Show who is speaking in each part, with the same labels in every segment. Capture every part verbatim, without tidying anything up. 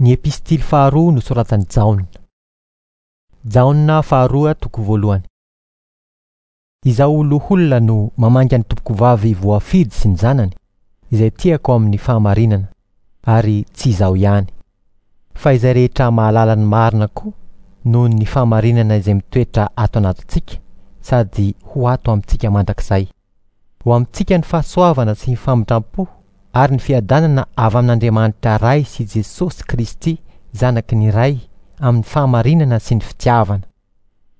Speaker 1: Ny epistily faharoa nosoratan'i Jaona. Jaona faharoa toko voalohany. Izaho loholona no mamangy ny tompokovavy voafidy sy ny zanany, izay tiako amin'ny fahamarinana, ary tsy izaho ihany, fa izay rehetra mahalala ny marina koa noho ny fahamarinana izay mitoetra ato anatintsika sady ho ato amintsika mandrakizay. Ho amintsika ny fahasoavana sy ny famindram-po ary ny fiadanana avy amin'Andriamanitra Ray sy Jesosy Kristy zanaky ny Ray amin'ny fahamarinana sy ny fitiavana.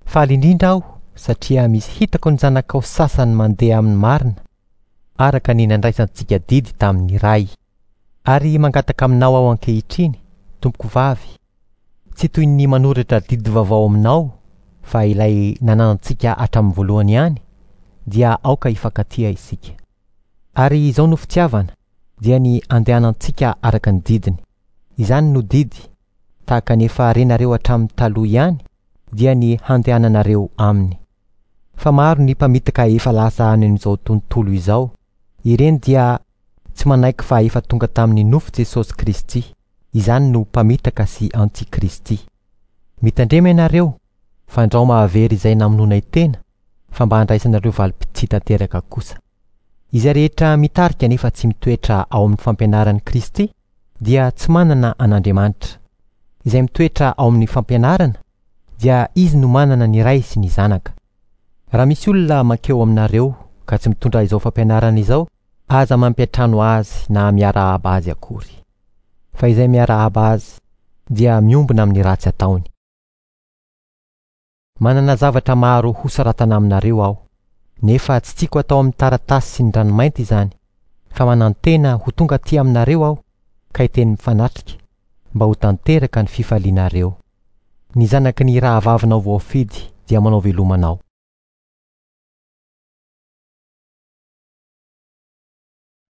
Speaker 1: Faly indrindra aho satria misy hitako ny zanakao sasany mandeha amin'ny marina, araka ny nandraisantsika didy tamin'ny Ray. Ary mangataka aminao aho ankehitriny, tompoko vavy, tsy toy ny manoratra didy vaovao aminao, fa ilay nananantsika hatramin'ny voalohany ihany, dia aoka hifankatia isika. Ary izao no fitiavana, dia ny andehanantsika araka ny didiny. Izany no didy, tahaka ny efa renareo hatramin'ny taloha ihany, dia ny handehananareo aminy. Fa maro ny mpamitaka efa lasa any amin'izao tontolo izao. Ireny dia tsy manaiky fa efa tonga tamin'ny nofo Jesosy Kristy. Izany no mpamitaka sy antikristy. Mitandrema ianareo, fandrao mahavery izay namonoanay tena, fa mba handraisanareo valim-pitia tanteraka kosa. Izay rehetra mitarika nefa tsy mitoetra ao amin'ny fampianaran'i Kristy dia tsy manana an'Andriamanitra. Izay mitoetra ao amin'ny fampianarana dia izy no manana ny Ray sy ny Zanaka. Raha misy olona mankeo aminareo ka tsy mitondra izao fampianarana izao, aza mampiantrano azy na miarahaba azy akory. Fa izay miarahaba azy dia miombona amin'ny ratsy ataony. Manana zavatra maro hosoratana aminareo aho, nefa tsy tiako atao amin'ny taratasy sy ny ranomainty izany, fa manantena ho tonga aty aminareo aho ka hiteny mifanatrika, mba ho tanteraka ny fifalianareo. Ny zanaky ny rahavavinao voafidy dia manao veloma anao.